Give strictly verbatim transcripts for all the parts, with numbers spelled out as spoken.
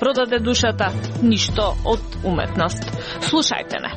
продаде душата, ништо од уметност. Слушајте не.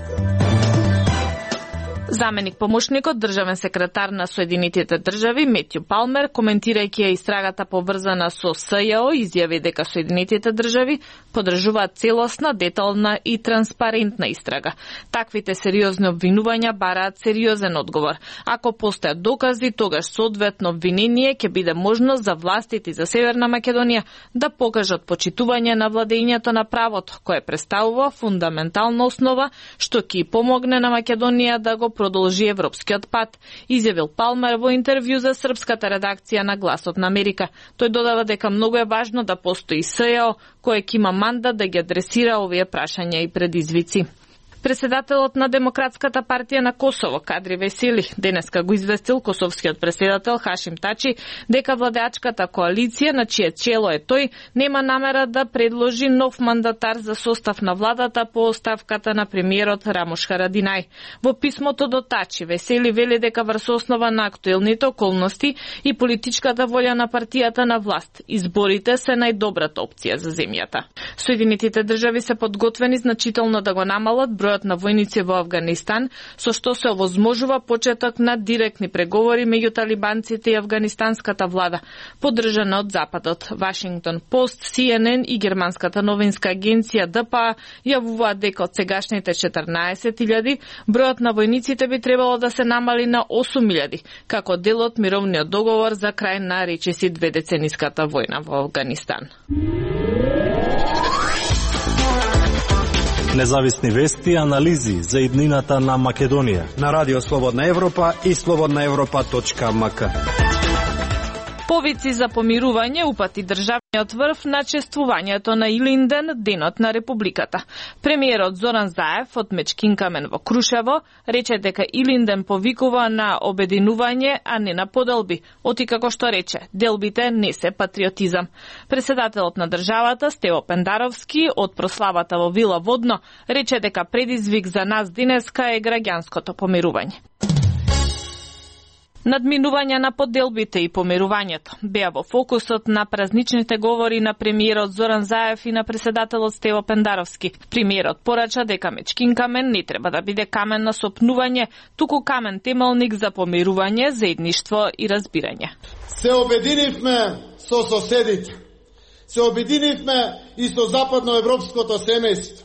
Заменик помошникот државен секретар на Соединетите држави Метју Палмер, коментирајќи ја истрагата поврзана со СЈО, изјави дека Соединетите држави подржуваат целосна, детална и транспарентна истрага. Таквите сериозни обвинувања бараат сериозен одговор. Ако постојат докази, тогаш соодветно обвинение ќе биде можност за властите за Северна Македонија да покажат почитување на владењето на правото, кое представува фундаментална основа што ќе помогне на Македонија да го продолжи европскиот пат, изјавил Палмер во интервју за српската редакција на Гласот на Америка. Тој додава дека многу е важно да постои СЈО, кој ќе има мандат да ги адресира овие прашања и предизвици. Преседателот на Демократската партија на Косово, Кадри Весели, денеска го известил косовскиот преседател Хашим Тачи дека владеачката коалиција, на чие чело е тој, нема намера да предложи нов мандатар за состав на владата по оставката на премиерот Рамош Харадинај. Во писмото до Тачи, Весели вели дека врз основа на актуелните околности и политичката волја на партијата на власт, изборите се најдобрата опција за земјата. Соединетите држави се подготвени значително да го намалат бројот на војници во Авганистан, со што се овозможува почеток на директни преговори меѓу талибанците и афганистанската влада, поддржана од Западот. Вашингтон Пост, Си Ен Ен и германската новинска агенција Д П А јавуваат дека од сегашните четрнаесет илјади бројот на војниците би требало да се намали на осум илјади, како дел од мировниот договор за крај на речиси дведецениската војна во Авганистан. Независни вести и анализи за иднината на Македонија на Радио Слободна Европа и слободна европа точка ем ка. Повици за помирување упати државниот врв на чествувањето на Илинден, денот на Републиката. Премиерот Зоран Заев од Мечкинкамен во Крушево рече дека Илинден повикува на обединување, а не на поделби. Оти како што рече, делбите не се патриотизам. Преседателот на државата Стево Пендаровски од прославата во Вила Водно рече дека предизвик за нас денеска е граѓанското помирување. Надминување на поделбите и помирувањето беа во фокусот на празничните говори на премиерот Зоран Заев и на преседателот Стево Пендаровски. Премиерот порача дека Мечкинкамен не треба да биде камен на сопнување, туку камен темелник за помирување, заедништво и разбирање. Се обединивме со соседите. Се обединивме и со западноевропското семејство,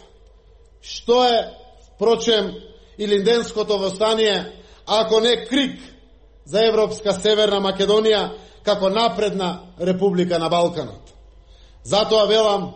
што е, впрочем, Илинденското востание, ако не крик за Европска Северна Македонија како напредна република на Балканот. Затоа велам,